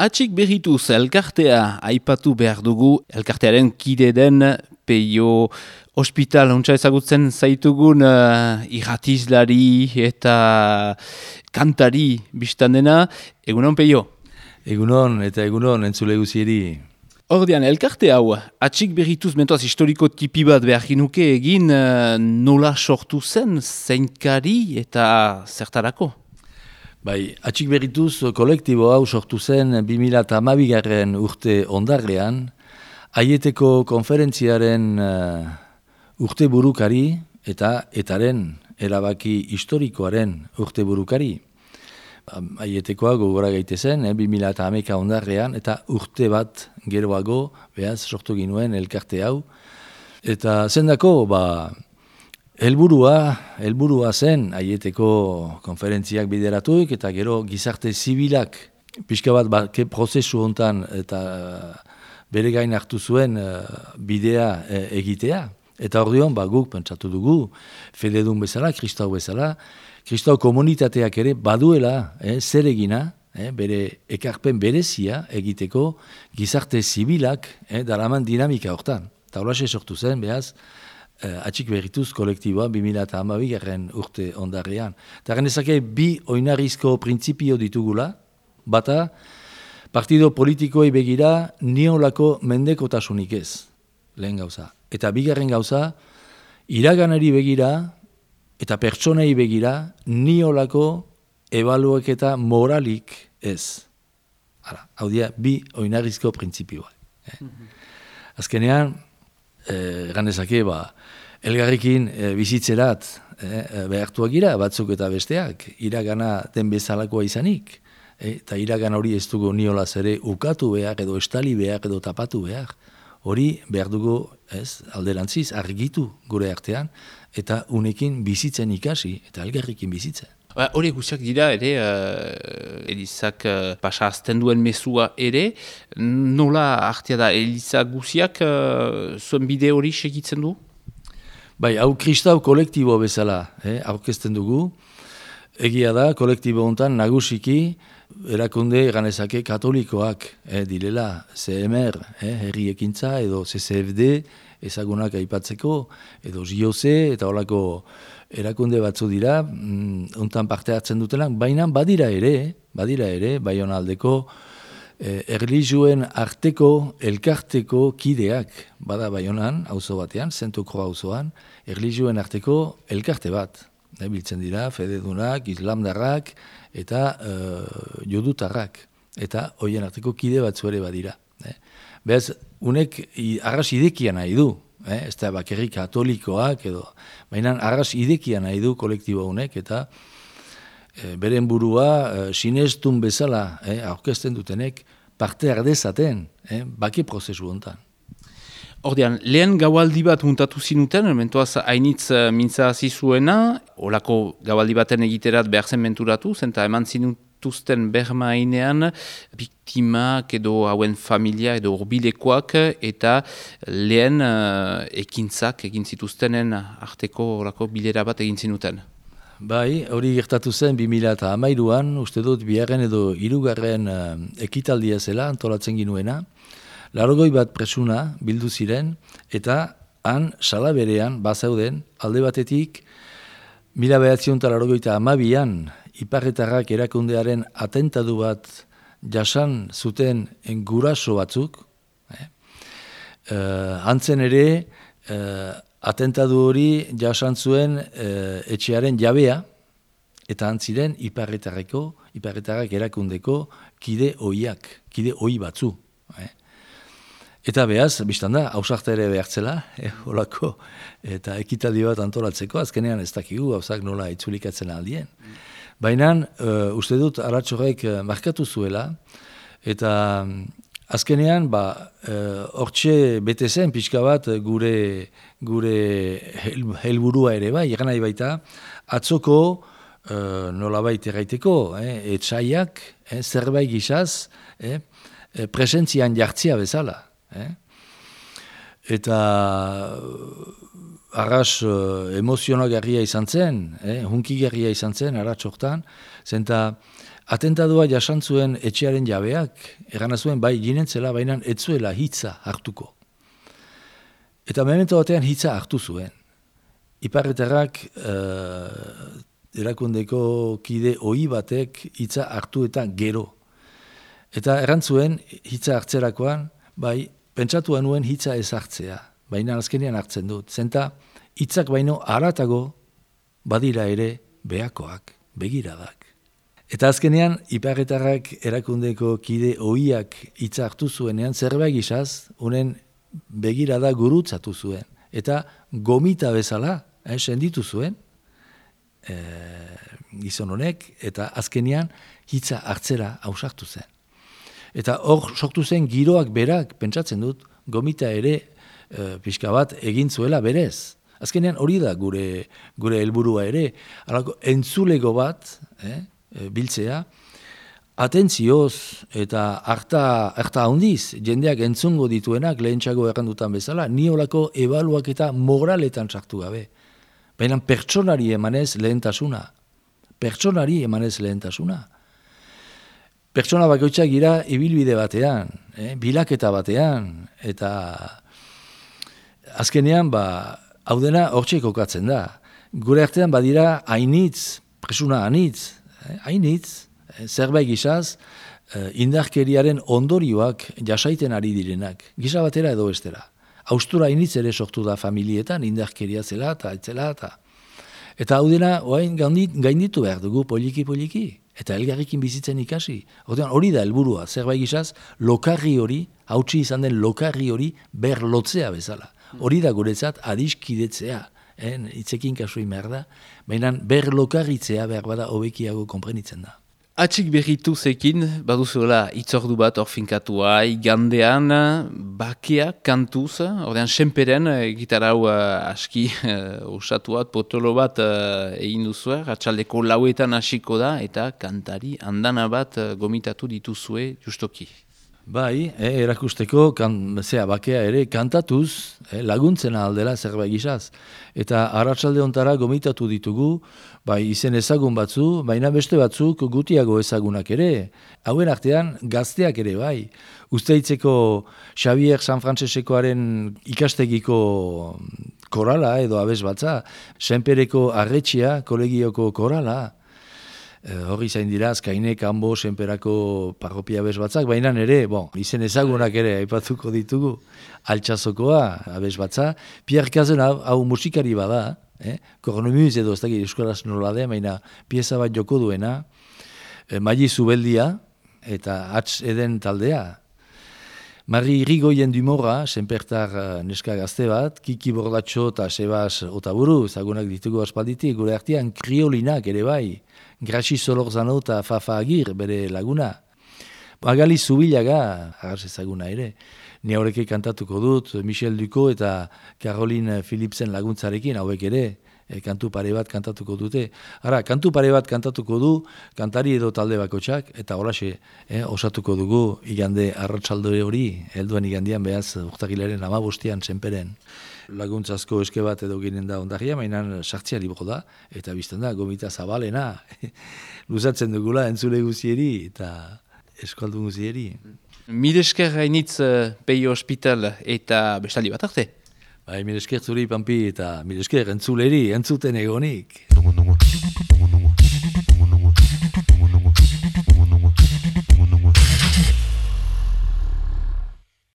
Atxik berrituz elkartea aipatu behar dugu, elkartearen kide den Peio Hospital ontsa ezagutzen zaitugun irratizlari eta kantari biztan dena. Egunon, Peio? Egunon eta egunon entzule guzieri. Ordean, elkarte hau, atxik berrituz mentoaz historiko tipi bat behar ginuke egin nola sortu zen, zeinkari eta zertarako? Bai, atxik berrituz kolektibo hau sortu zen 2012 urte ondarrean, Aieteko konferentziaren urte burukari eta etaren erabaki historikoaren urte burukari. Aietekoa gogora gaitezen, 2011 ondarrean, eta urte bat geroago, behaz, sortu ginuen elkarte hau. Eta zendako, helburua zen Aieteko konferentziak bideratuik, eta gero gizarte zibilak, pixka bat prozesu hontan eta bere gain hartu zuen bidea egitea. Eta ordeon, guk pentsatu dugu, fededun bezala, kristau bezala, kristau komunitateak ere baduela zer egina, bere ekarpen berezia egiteko gizarte zibilak daraman dinamika hortan. Eta horrexe sortu zen, behaz, atxik berrituz kolektiboa 2012 urte ondarrean. Eta genezake bi oinarrizko printzipio ditugula, bata, partido politikoei begira niolako mendekotasunik ez, lehen gauza. Eta bigarren gauza, iraganari begira eta pertsonei begira niolako ebaluaketa moralik ez. Hau dira, bi oinarrizko printzipioa. Azkenean, ganezake, elgarrekin bizitzerat behartuak gira, batzuk eta besteak, iragana den bezalakoa izanik. Eta iragan hori ez dugu niolaz ere ukatu behar, edo estali behar, edo tapatu behar. Hori behar dugu, alderantziz, argitu gure artean, eta unekin bizitzen ikasi, eta elgarrekin bizitzen. Hori guziak dira ere, Elizak pasa azten duen mesua ere, nola artea da, Eliza guziak zuen bide hori segitzen du? Bai, hau kristau kolektibo bezala, aurkezten dugu. Egia da, kolektibo hontan nagusiki, erakunde ganezake katolikoak direla, CMR, herri ekintza, edo CCFD, ezagunak aipatzeko, edo JOC, eta holako erakunde batzu dira, hontan parte hartzen dutenak, baina badira ere, Baionaldeko erlijioen arteko, elkarteko kideak, bada Baionan, auzo batean, Zentokro auzoan, erlijioen arteko elkarte bat. Biltzen dira, fededunak, islamdarrak eta jodutarrak. Eta hoien arteko kide batzu ere badira. Beraz, unek arras idekia nahi du. Ez da bakerri katolikoak edo. Baina arras idekia nahi du kolektibo honek eta beren burua sinestun bezala aurkezten dutenek parte ardezaten bake prozesu hontan. Ordean, lehen gaualdi bat muntatu zinuten, mentuaz hainitz mintza hasi zuena, olako gaualdi baten egiterat behar zen menturatu, zenta eman zinutuzten berma hainean, biktimak edo hauen familia edo urbilekoak, eta lehen ekintzak egin zituztenen arteko olako bilera bat egin zinuten. Bai, hori gertatu zen 2013an, uste dut biharren edo hirugarren ekitaldia zela antolatzen ginuena, 80 bat presuna bildu ziren, eta han salaberean bazauden alde batetik 1982an iparretarrak erakundearen atentatu bat jasan zuten guraso batzuk. Hantzen ere atentatu hori jasan zuen etxearen jabea, eta antziren iparretarrak erakundeko kide ohi batzu. Eta behaz, biztan da, hausakta ere behartzela, holako, eta ekitaldi bat antolatzeko, azkenean ez dakigu, hausak nola itzulikatzen aldien. Baina, uste dut, aratxorek markatu zuela, eta azkenean, hortxe bete zen, pixka bat, gure helburua ere bai, egan nahi baita, atzoko nola baita erraiteko, etxaiak, zerbait gizaz, presentzian jartzia bezala. Eta arras emozionagarria izan zen, hunkigarria izan zen, arratz hortan, zenta atentadua jasan zuen etxearen jabeak, erana zuen bai ginentzela, baina etzuela hitza hartuko. Eta memento batean hitza hartu zuen. Iparretarrak erakundeko kide ohi batek hitza hartu eta gero. Eta erantzuen hitza hartzerakoan, bai, pentsatu nuen hitza ez hartzea, baina azkenean hartzen dut. Zenta hitzak baino haratago badira ere behakoak, begiradak. Eta azkenean, iparretarrak erakundeko kide ohiak hitza hartu zuenean, zerbait gizaz, unen begirada gurutzatu zuen. Eta gomita bezala, senditu zuen, gizon honek, eta azkenean hitza hartzera ausartu zen. Eta hor sortu zen giroak berak, pentsatzen dut, gomita ere pixka bat egin zuela berez. Azkenean hori da gure helburua ere, alako entzulego bat, biltzea, atentzioz eta harta handiz, jendeak entzungo dituenak lehentxago errandutan bezala, ni olako ebaluak eta moraletan sartu gabe. Baina pertsonari emanez lehentasuna. Pertsona bakoitzak gira ibilbide batean, bilaketa batean, eta azkenean, hau dena hortxe kokatzen da. Gure artean badira hainitz, presuna hainitz, zerbait gizaz, indarkeriaren ondorioak jasaiten ari direnak, gisa batera edo bestera. Haustura hainitz ere sortu da familietan, indarkeria zela eta etzela eta hau dena gainditu behar dugu poliki, eta elgarrikin bizitzen ikasi. Hori da helburua, zerbait gizaz, lokarri hori, hautsi izan den lokarri hori berlotzea bezala. Hori da guretzat adiskidetzea, hitzekin kasuin behar da, baina berlokarritzea behar bada hobekiago konprenitzen da. Atxik berritu zekin, baduzuela itzordu bat orfinkatua, igandean, bakea, kantuz, ordean senperen, gitarau aski osatuat, potolo bat egin duzue, atxaldeko lauetan hasiko da, eta kantari andana bat gomitatu dituzue justoki. Bai, erakusteko bakea ere kantatuz laguntzen aldela zerbait gizaz. Eta arratsalde hontara gomitatu ditugu, bai izen ezagun batzu, baina beste batzuk gutiago ezagunak ere. Hauen artean gazteak ere bai. Usteitzeko Xavier San Francesekoaren ikastegiko korala edo abes batza, Senpereko Arretxea kolegioko korala, hori zain dira, Azkaine, Kanbo, Senperako parropia abes batzak, baina ere, izen ezagunak ere aipatuko ditugu, Altsazokoa abes batza, Pierre Cazen hau musikari bada, kornomuz edo ez dakit euskaraz nola den, baina pieza bat joko duena, Maili Zubeldia eta Hatz Eden taldea, Mari Irigoyen Dumorra, Senpertar neska gazte bat, Kiki Bordatxo eta Sebas Otaburu, ezagunak ditugu aspalditik, gure artean kriolinak ere bai, Graxi Solorzano eta Fafa Agir, bere laguna. Magali Zubilaga, arras ezaguna ere, ni horreke kantatuko dut, Michel Ducot eta Caroline Philipsen laguntzarekin, hauek ere, kantu pare bat kantatuko dute. Kantu pare bat kantatuko du, kantari edo talde bakotxak, eta horaxe, osatuko dugu igande arratsalde hori, helduen igandian behaz urtagilaren 15 Senperen. Laguntzazko eske bat edo ginen da ondaria, mainan sartzea libro da, eta bizten da, gomita zabalena, luzatzen dugula entzule guzieri eta eskualdun guzieri. Milesker hainitz Peio Hospital eta bestaldi bat arte? Bai, milesker zuri, Pampi, eta milesker entzuleri, entzuten egonik.